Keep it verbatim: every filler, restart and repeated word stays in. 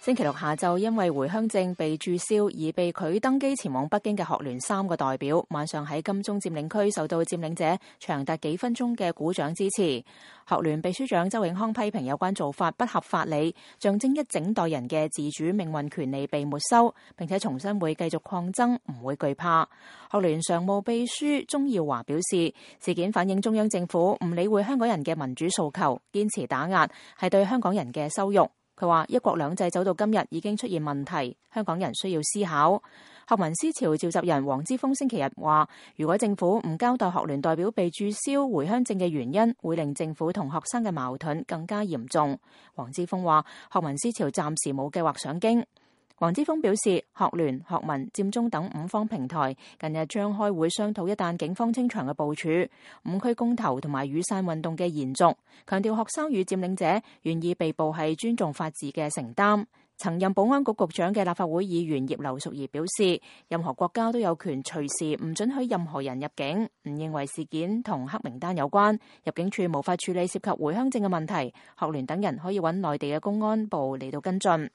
星期六下晝，因為回鄉證被註銷而被拒登機前往北京嘅學聯三個代表，晚上喺金鐘佔領區受到佔領者長達幾分鐘嘅鼓掌支持。學聯秘書長周永康批評有關做法不合法理，象徵一整代人嘅自主命運權利被沒收，並且重申會繼續抗爭，唔會懼怕。學聯常務秘書鍾耀華表示，事件反映中央政府唔理會香港人嘅民主訴求，堅持打壓係對香港人嘅羞辱。佢話一國兩制走到今日已經出現問題，香港人需要思考。學民思潮召集人黃之鋒星期日話，如果政府唔交代學聯代表被註銷回鄉證嘅原因，會令政府同學生嘅矛盾更加嚴重。黃之鋒話，學民思潮暫時冇計劃上京。黃之鋒表示，學聯、學民、佔中等五方平台近日將開會商討一旦警方清場嘅部署、五區公投同埋雨傘運動嘅延續，強調學生與佔領者願意被捕係尊重法治嘅承擔。曾任保安局局長嘅立法會議員葉劉淑儀表示，任何國家都有權隨時唔准許任何人入境，唔認為事件同黑名單有關，入境處無法處理涉及回鄉證嘅問題，學聯等人可以揾內地嘅公安部嚟到跟進。